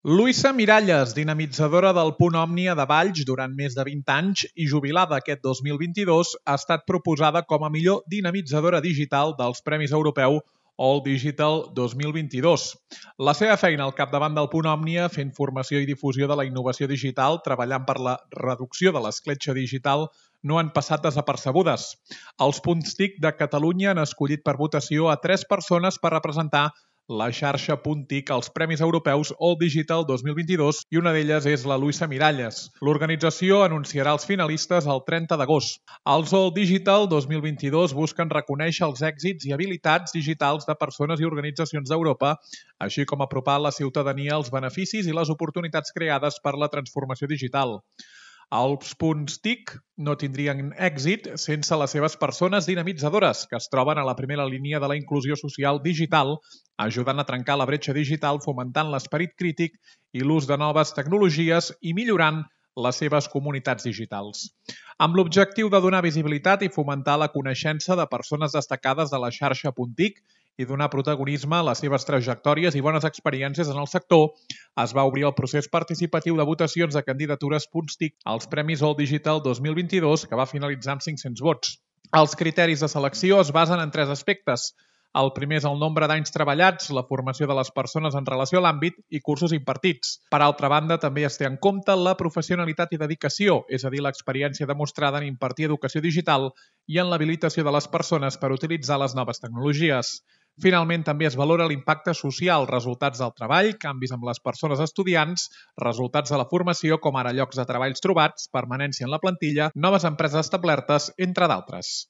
Luisa Miralles, dinamitzadora del Punt Òmnia de Valls durant més de 20 anys i jubilada aquest 2022, ha estat proposada com a millor dinamitzadora digital dels Premis Europeu All Digital 2022. La seva feina al capdavant del Punt Òmnia, fent formació i difusió de la innovació digital, treballant per la reducció de l'escletxa digital, no han passat desapercebudes. Els punts TIC de Catalunya han escollit per votació a 3 persones per representar la xarxa Punt TIC als Premis Europeus All Digital 2022 i una d'elles és la Luisa Miralles. L'organització anunciarà els finalistes el 30 d'agost. Els All Digital 2022 busquen reconèixer els èxits i habilitats digitals de persones i organitzacions d'Europa, així com apropar la ciutadania als beneficis i les oportunitats creades per la transformació digital. Els punts TIC no tindrien èxit sense les seves persones dinamitzadores, que es troben a la primera línia de la inclusió social digital, ajudant a trencar la bretxa digital, fomentant l'esperit crític i l'ús de noves tecnologies i millorant les seves comunitats digitals. Amb l'objectiu de donar visibilitat i fomentar la coneixença de persones destacades de la xarxa Punt TIC i donar protagonisme a les seves trajectòries i bones experiències en el sector, es va obrir el procés participatiu de votacions de candidatures Punts TIC als Premis All Digital 2022, que va finalitzar amb 500 vots. Els criteris de selecció es basen en 3 aspectes. El primer és el nombre d'anys treballats, la formació de les persones en relació a l'àmbit i cursos impartits. Per altra banda, també es té en compte la professionalitat i dedicació, és a dir, l'experiència demostrada en impartir educació digital i en l'habilitació de les persones per utilitzar les noves tecnologies. Finalment, també es valora l'impacte social, resultats del treball, canvis amb les persones estudiants, resultats de la formació, com ara llocs de treballs trobats, permanència en la plantilla, noves empreses establertes, entre d'altres.